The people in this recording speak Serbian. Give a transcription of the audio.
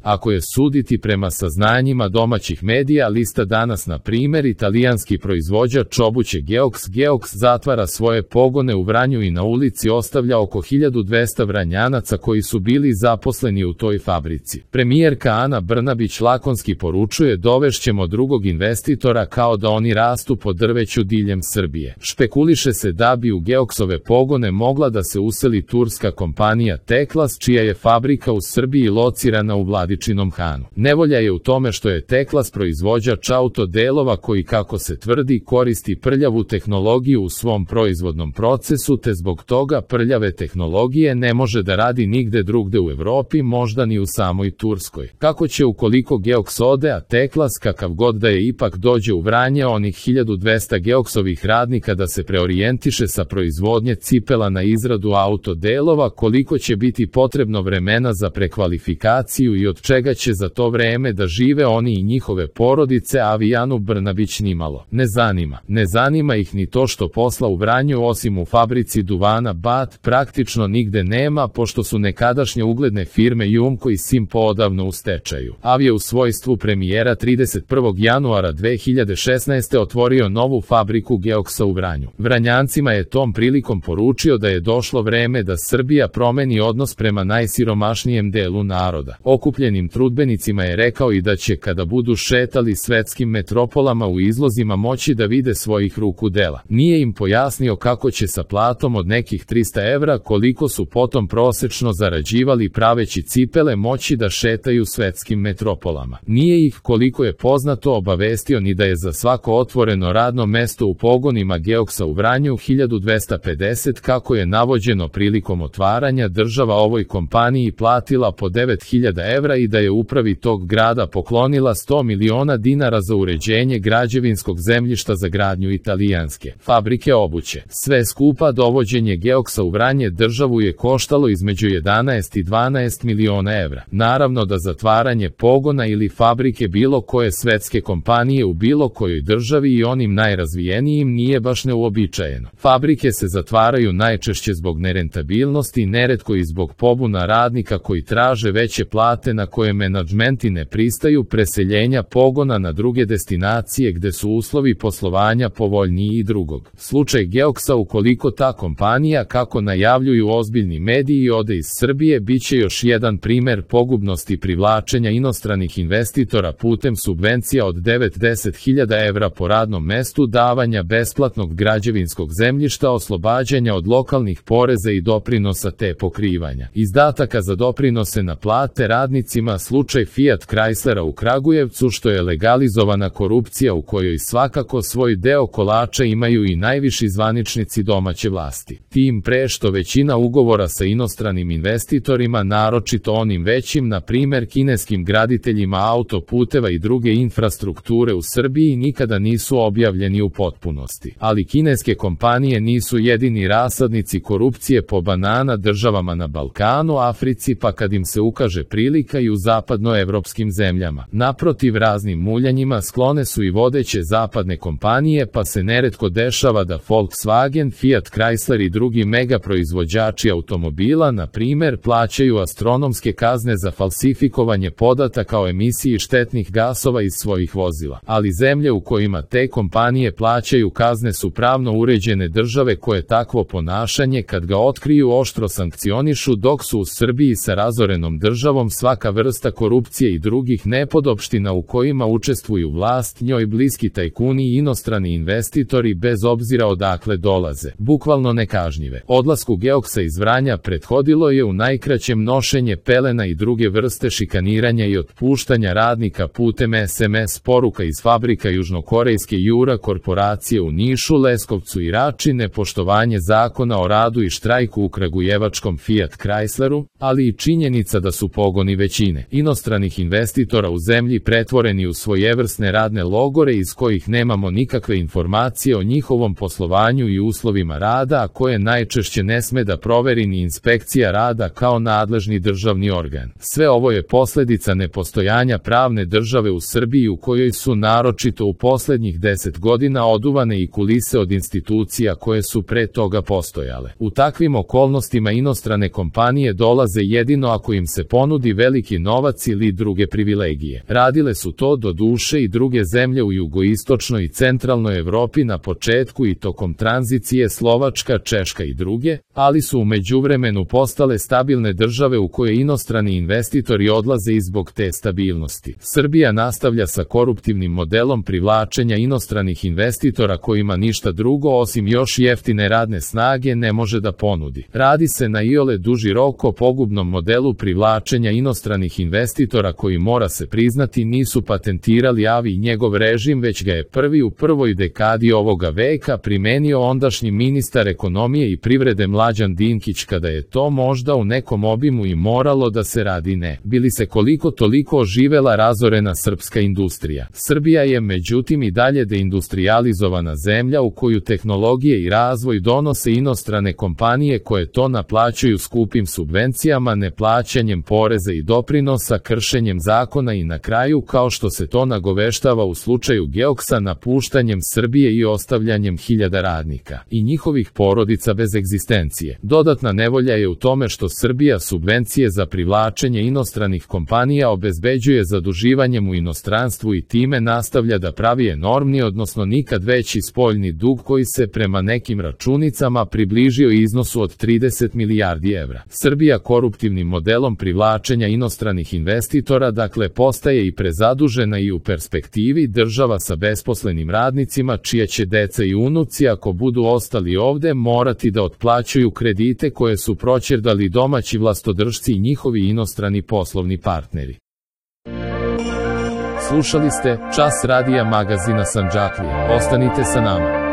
Ako je suditi prema saznanjima domaćih medija, lista danas na primjer, italijanski proizvođač obuće Geox zatvara svoje pogone u Vranju i na ulici ostavlja oko 1200 Vranjanaca koji su bili zaposleni u toj fabrici. Premijerka Ana Brnabić lakonski poručuje: dovešćemo drugog investitora, kao da oni rastu po drveću diljem Srbije. Špekuliše se da bi u Geoxove pogone mogla da se useli turska kompanija Teklas, čija je fabrika u Srbiji locirana u Vladičinom Hanu. Nevolja je u tome što je Teklas proizvođač autodelova koji, kako se tvrdi, koristi prljavu tehnologiju u svom proizvodnom procesu, te zbog toga prljave tehnologije ne može da radi nigde drugde u Evropi, možda ni u samoj Turskoj. Kako će, ukoliko Geox ode, a Teklas, kakav god da je, ipak dođe u Vranje, onih 1200 Geoxovih radnika da se preorijentiše sa proizvodnje cipela na izradu autodelova, koliko će biti potrebno vremena za prekvalifikaciju i od čega će za to vreme da žive oni i njihove porodice, Anu Brnabić nimalo ne zanima. Ne zanima ih ni to što posla u Vranju, osim u fabrici duvana BAT, praktično nigde nema, pošto su nekadašnje ugledne firme Jumko i Simpo odavno u stečaju. Je u svojstvu premijera 31. januara 2016. otvorio novu fabriku Geoxa u Vranju. Vranjancima je tom prilikom poručio da je došlo vreme da Srbija promeni odnos prema najsiromašnijem delu naroda. Okupljenim trudbenicima je rekao i da će, kada budu šetali svetskim metropolama u izlozima, moći da vide svojih ruku dela. Nije im pojasnio kako će sa platom od nekih 300 evra, koliko su potom prosečno zarađivali praveći cipele, moći da šetaju svetskim metropolama. Nije ih, koliko je poznato, obavestio ni da je za svako otvoreno radno mesto u pogonima Geoxa u Vranju 1250, kako je navođeno prilikom otvaranja, država ovoj kompaniji platila po 9000 evra i da je upravi tog grada poklonila 100 miliona dinara za uređenje građevinskog zemljišta za gradnju italijanske fabrike obuće. Sve skupa dovođenje Geoxa u Vranje državu je koštalo između 11 i 12 miliona evra. Naravno da zatvaranje pogona ili fabrike bilo koje svetske kompanije u bilo kojoj državi, i onim najrazvijenijim, nije baš neuobičajeno. Fabrike se zatvaraju najčešće zbog nerentabilnosti, neretko i zbog pobuna radnika koji traže veće plate na koje menadžmenti ne pristaju, preseljenja pogona na druge destinacije gde su uslovi poslovanja povoljniji i drugog. Slučaj Geoxa, ukoliko ta kompanija, kako najavljuju ozbiljni mediji, ode iz Srbije, biće još jedan primer pogubnosti privlačenja inostranih investitora putem subvencija od 9-10 evra po radnom mestu, davanja besplatnog građevinskog zemljišta, oslobađanja od lokalnih poreza i doprinosa te pokrivanja izdataka za doprinose na plate radnicima. Slučaj Fiat Chryslera u Kragujevcu, što je legalizovana korupcija u kojoj svakako svoj deo kolača imaju i najviši zvaničnici domaće vlasti. Tim pre što većina ugovora sa inostranim investitorima, naročito onim većim, na primer kineskim graditeljima autoputeva i druge infrastrukture u Srbiji, nikada nisu objavljeni u potpunosti. Ali kineske kompanije nisu jedini rasadnici korupcije po banana državama na Balkanu, Africi, pa kad im se ukaže prilika i u zapadnoevropskim zemljama. Naprotiv, raznim muljanjima sklone su i vodeće zapadne kompanije, pa se neretko dešava da Volkswagen, Fiat Chrysler i drugi mega proizvođači automobila, na primer, plaćaju astronomske kazne za falsifikovanje podataka o emisiji štetnih gasova iz svojih vozila. Ali zemlje u kojima te kompanije plaćaju kazne su pravno uređene države koje takvo ponašanje, kad ga otkriju, oštro sankcionišu, dok su u Srbiji sa razorenom državom svaka vrsta korupcije i drugih nepodopština u kojima učestvuju vlast, njoj bliski tajkuni i inostrani investitori, bez obzira odakle dolaze, bukvalno nekažnjive. Odlasku Geoxa iz Vranja prethodilo je u najkraćem nošenje pelena i druge vrste šikaniranja i otpuštanja radnika putem SMS poruka iz fabrika južnokorejske Jura korporacije u Nišu, Leskovcu i Rači, nepoštovanje zakona o radu i štrajku u kragujevačkom Fiat Chrysleru, ali i činjenica da su pogoni većine inostranih investitora u zemlji pretvoreni u svojevrsne radne logore iz kojih nemamo nikakve informacije o njihovom poslovanju i uslovima rada, a koje najčešće ne sme da proveri ni inspekcija rada kao nadležni državni organ. Sve ovo je posledica nepostojanja pravne države u Srbiji, u kojoj su naročito u poslednjih 10 godina oduvane i kulise od institucija koje su pre toga postojale. U takvim okolnostima inostrane kompanije dolaze jedino ako im se ponudi veliki veliki novac ili druge privilegije. Radile su to do duše i druge zemlje u jugoistočnoj i centralnoj Evropi na početku i tokom tranzicije, Slovačka, Češka i druge, ali su u međuvremenu postale stabilne države u koje inostrani investitori odlaze i zbog te stabilnosti. Srbija nastavlja sa koruptivnim modelom privlačenja inostranih investitora kojima ništa drugo osim još jeftine radne snage ne može da ponudi. Radi se na iole duži rok o pogubnom modelu privlačenja inostranih investitora koji, mora se priznati, nisu patentirali Avi i njegov režim, već ga je prvi u prvoj dekadi ovoga veka primenio ondašnji ministar ekonomije i privrede Mlađan Dinkić kada je to možda u nekom obimu i moralo da se radi ne bili se koliko toliko oživela razorena srpska industrija. Srbija je međutim i dalje deindustrijalizovana zemlja u koju tehnologije i razvoj donose inostrane kompanije koje to naplaćuju skupim subvencijama, neplaćanjem poreza i doprinosa, kršenjem zakona i na kraju, kao što se to nagoveštava u slučaju Geoksa, napuštanjem Srbije i ostavljanjem hiljada radnika i njihovih porodica bez egzistencije. Dodatna nevolja je u tome što Srbija subvencije za privlačenje inostranih kompanija obezbeđuje zaduživanjem u inostranstvu i time nastavlja da pravi enormni, odnosno nikad veći spoljni dug koji se prema nekim računicama približio iznosu od 30 milijardi evra. Srbija koruptivnim modelom privlačenja inostranih investitora dakle postaje i prezadužena i u perspektivi država sa besposlenim radnicima čije će deca i unuci, ako budu ostali ovde, morati da otplaćuju kredite koje su proćerdali domaći vlastodržci i njihovi inostrani poslovni partneri. Slušali ste Čas radija magazina Sandžaklija. Ostanite sa nama.